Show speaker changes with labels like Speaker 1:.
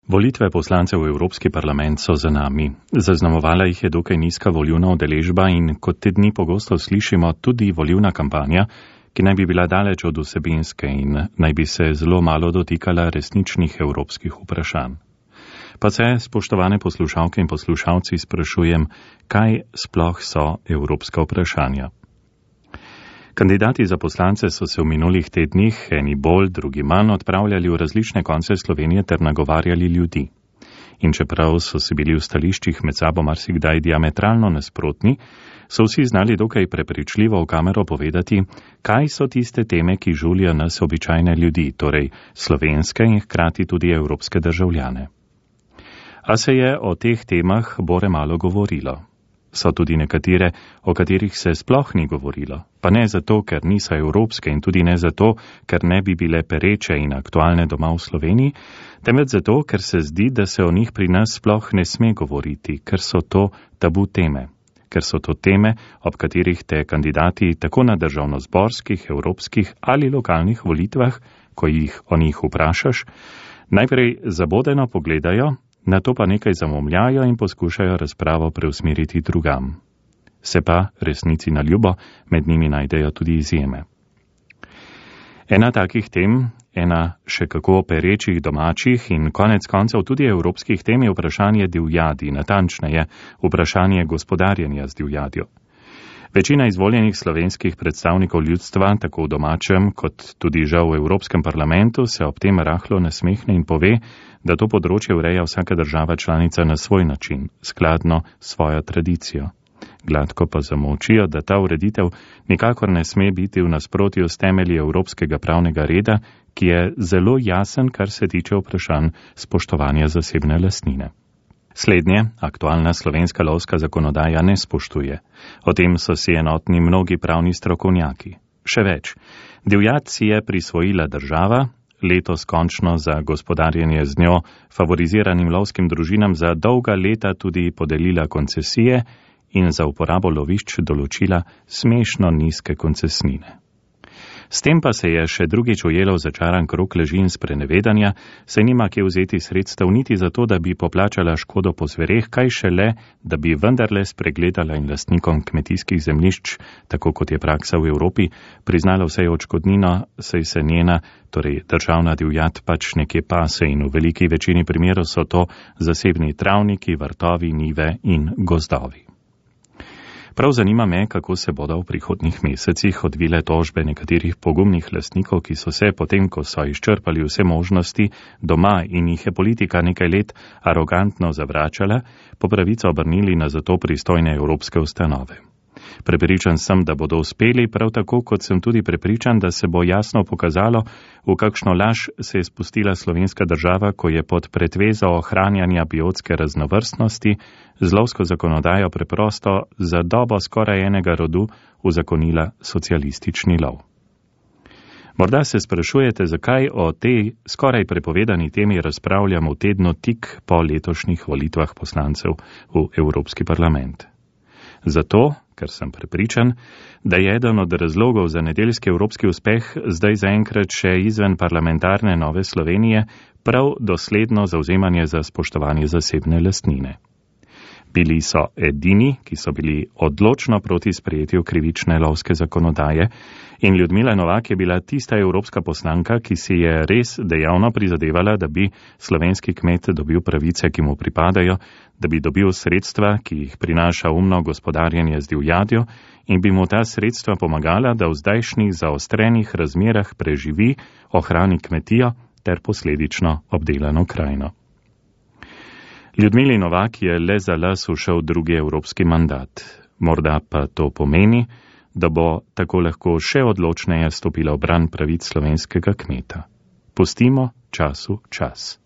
Speaker 1: Volitve poslancev v Evropski parlament so za nami. Zaznamovala jih je dokaj nizka volilna udeležba in kot te dni pogosto slišimo tudi volilna kampanja, ki naj bi bila daleč od vsebinske in naj bi se zelo malo dotikala resničnih evropskih vprašanj. Pa se, spoštovane poslušalke in poslušalci, sprašujem, kaj sploh so evropska vprašanja. Kandidati za poslance so se v minulih tednih, eni bolj, drugi manj, odpravljali v različne konce Slovenije ter nagovarjali ljudi. In čeprav so si bili v stališčih med sabo marsikdaj diametralno nasprotni, so vsi znali dokaj prepričljivo v kamero povedati, kaj so tiste teme, ki žulijo nas običajne ljudi, torej slovenske in hkrati tudi evropske državljane. A se je o teh temah bore malo govorilo. So tudi nekatere, o katerih se sploh ni govorilo, pa ne zato, ker niso evropske in tudi ne zato, ker ne bi bile pereče in aktualne doma v Sloveniji, temveč zato, ker se zdi, da se o njih pri nas sploh ne sme govoriti, ker so to tabu teme. Ker so to teme, ob katerih te kandidati tako na državnozborskih, evropskih ali lokalnih volitvah, ko jih o njih vprašaš, najprej zabodeno pogledajo, nato pa nekaj zamomljajo in poskušajo razpravo preusmeriti drugam. Se pa, resnici na ljubo, med njimi najdejo tudi izjeme. Ena takih tem, ena še kako perečih domačih in konec koncev tudi evropskih tem je vprašanje divjadi, natančneje vprašanje gospodarjenja z divjadjo. Večina izvoljenih slovenskih predstavnikov ljudstva, tako v domačem kot tudi žal v Evropskem parlamentu, se ob tem rahlo nasmehne in pove, da to področje ureja vsaka država članica na svoj način, skladno s svojo tradicijo. Gladko pa zamolčijo, da ta ureditev nikakor ne sme biti v nasprotju s temelji evropskega pravnega reda, ki je zelo jasen, kar se tiče vprašanj spoštovanja zasebne lastnine. Slednje aktualna slovenska lovska zakonodaja ne spoštuje. O tem so si enotni mnogi pravni strokovnjaki. Še več, divjad si je prisvojila država, letos končno za gospodarjenje z njo favoriziranim lovskim družinam za dolga leta tudi podelila koncesije in za uporabo lovišč določila smešno nizke koncesnine. S tem pa se je še drugič ujelo v začaran krog laži in sprenevedanja, saj nima kje vzeti sredstev niti za to, da bi poplačala škodo po zvereh, kaj šele, da bi vendarle spregledala in lastnikom kmetijskih zemljišč, tako kot je praksa v Evropi, priznala vsej odškodnino, saj se njena, torej državna divjad, pač nekje pase in v veliki večini primerov so to zasebni travniki, vrtovi, njive in gozdovi. Prav zanima me, kako se bodo v prihodnjih mesecih odvile tožbe nekaterih pogumnih lastnikov, ki so se, potem ko so izčrpali vse možnosti doma in jih je politika nekaj let arogantno zavračala, po pravico obrnili na zato pristojne evropske ustanove. Prepričan sem, da bodo uspeli, prav tako kot sem tudi prepričan, da se bo jasno pokazalo, v kakšno laž se je spustila slovenska država, ko je pod pretvezo ohranjanja biotske raznovrstnosti z lovsko zakonodajo preprosto za dobo skoraj enega rodu uzakonila socialistični lov. Morda se sprašujete, zakaj o tej skoraj prepovedani temi razpravljamo v tednu tik po letošnjih volitvah poslancev v Evropski parlament. Zato, ker sem prepričan, da je eden od razlogov za nedeljski evropski uspeh zdaj zaenkrat še izven parlamentarne Nove Slovenije prav dosledno zavzemanje za spoštovanje zasebne lastnine. Bili so edini, ki so bili odločno proti sprejetju krivične lovske zakonodaje in Ljudmila Novak je bila tista evropska poslanka, ki si je res dejavno prizadevala, da bi slovenski kmet dobil pravice, ki mu pripadajo, da bi dobil sredstva, ki jih prinaša umno gospodarjenje z divjadjo in bi mu ta sredstva pomagala, da v zdajšnjih zaostrenih razmerah preživi, ohrani kmetijo ter posledično obdelano krajino. Ljudmili Novak je le za las ušel drugi evropski mandat. Morda pa to pomeni, da bo tako lahko še odločneje stopila v bran pravic slovenskega kmeta. Pustimo času čas.